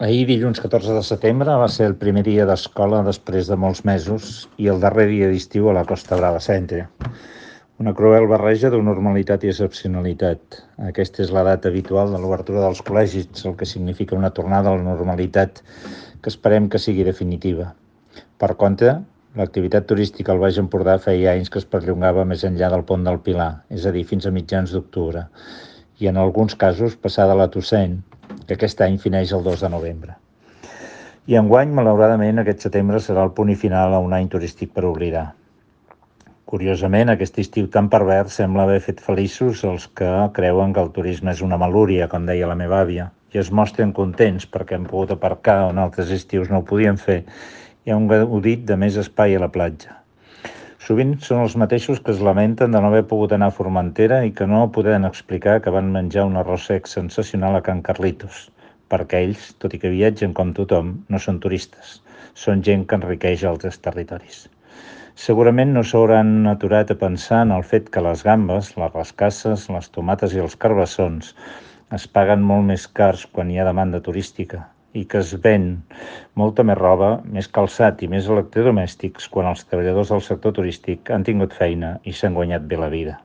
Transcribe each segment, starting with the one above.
Ahir, dilluns 14 de setembre, va ser el primer dia d'escola després de molts mesos i el darrer dia d'estiu a la Costa Brava Centre. Una cruel barreja de normalitat i excepcionalitat. Aquesta és la data habitual de l'obertura dels col·legis, el que significa una tornada a la normalitat que esperem que sigui definitiva. Per contra, l'activitat turística al Baix Empordà feia anys que es perllongava més enllà del Pont del Pilar, és a dir, fins a mitjans d'octubre, i en alguns casos passada la Tossent, que aquest any fineix el 2 de novembre. I enguany, malauradament, aquest setembre serà el punt i final a un any turístic per oblidar. Curiosament, aquest estiu tan pervers sembla haver fet feliços els que creuen que el turisme és una malúria, com deia la meva àvia, i es mostren contents perquè han pogut aparcar on altres estius no ho podien fer i han gaudit de més espai a la platja. Sovint són els mateixos que es lamenten de no haver pogut anar a Formentera i que no poden explicar que van menjar un arròs sec sensacional a Can Carlitos, perquè ells, tot i que viatgen com tothom, no són turistes, són gent que enriqueix altres territoris. Segurament no s'hauran aturat a pensar en el fet que les gambes, les rascasses, les tomates i els carbassons es paguen molt més cars quan hi ha demanda turística i que es ven molta més roba, més calçat i més electrodomèstics quan els treballadors del sector turístic han tingut feina i s'han guanyat bé la vida.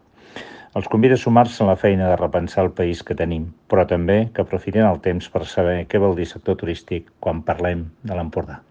Els convido a sumar-se a la feina de repensar el país que tenim, però també que aprofitin el temps per saber què vol dir sector turístic quan parlem de l'Empordà.